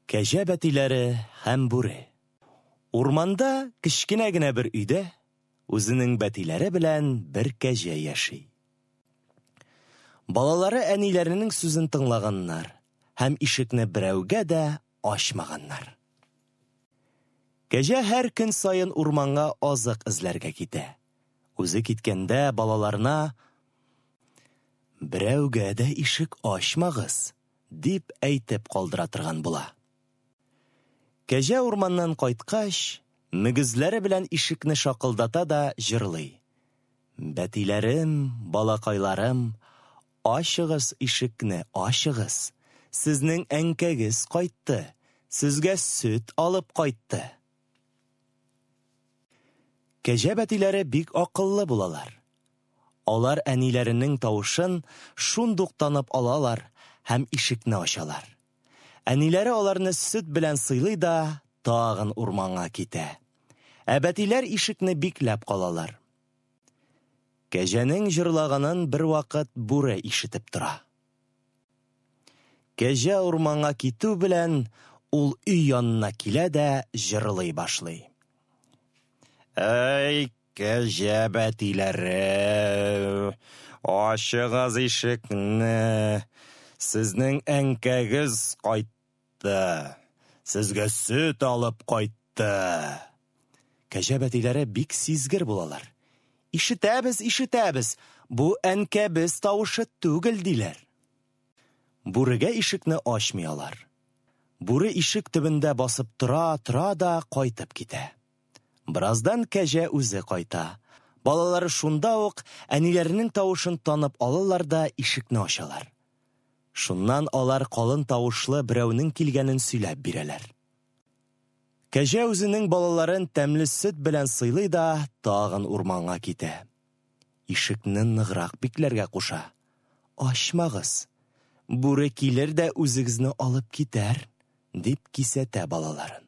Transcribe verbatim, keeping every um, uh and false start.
Кәҗә бәтиләре һәм бүре. Урманда кечкенә генә бер өйдә үзенең бәтиләре белән бер кәҗә яши. Балалары әниләренең сүзен тыңлаганнар һәм ишекне берәүгә дә ачмаганнар. Кәҗә һәр көн саен урманга азык эзләргә китә. Үзе киткәндә балаларына: "Берәүгә дә ишек ачмагыз", дип әйтеп калдыра торган була. Кәҗә урманнан кайткач, мөгезләре белән ишекне шакылдата да җырлый: "Бәтиләрем, балакайларым, ачыгыз ишекне, ачыгыз. Сезнең әнкәгез кайтты, сезгә сөт алып кайтты". Кәҗә бәтиләре бик акыллы булалар. Алар әниләренең тавышын шундук танып алалар һәм ишекне ачалар. Әниләре аларны сөт белән сыйлый да тагын урманга китә. Ә бәтиләр ишекне бикләп калалар. Кәҗәнең җырлаганын бервакыт бүре ишетеп тора. Кәҗә урманга китү белән ул өй янына килә дә җырлый башлый. Әй, кәҗә бәтиләре, ачыгыз ишекне, сезнең әнкәгез кайтты, сезгә сөт алып кайтты. Кәҗә бәтиләре бик сизгер булалар. Ишетәбез, ишетәбез, бу әнкәбез тавышы түгел, диләр. Бүрегә ишекне ачмый алар. Бүре ишек төбендә басып тора-тора да кайтып китә. Бераздан кәҗә үзе кайта. Балалары шунда ук әниләренең тавышын танып алалар да ишекне ачалар. Шуннан алар калын тавышлы берәүнең килгәнен сөйләп бирәләр. Кәҗә үзенең балаларын тәмле сөт белән сыйлый да тагын урманга китә. Ишекне ныграк бикләргә куша. Ачмагыз, бүре килер дә үзегезне алып китәр, дип кисәтә балаларын.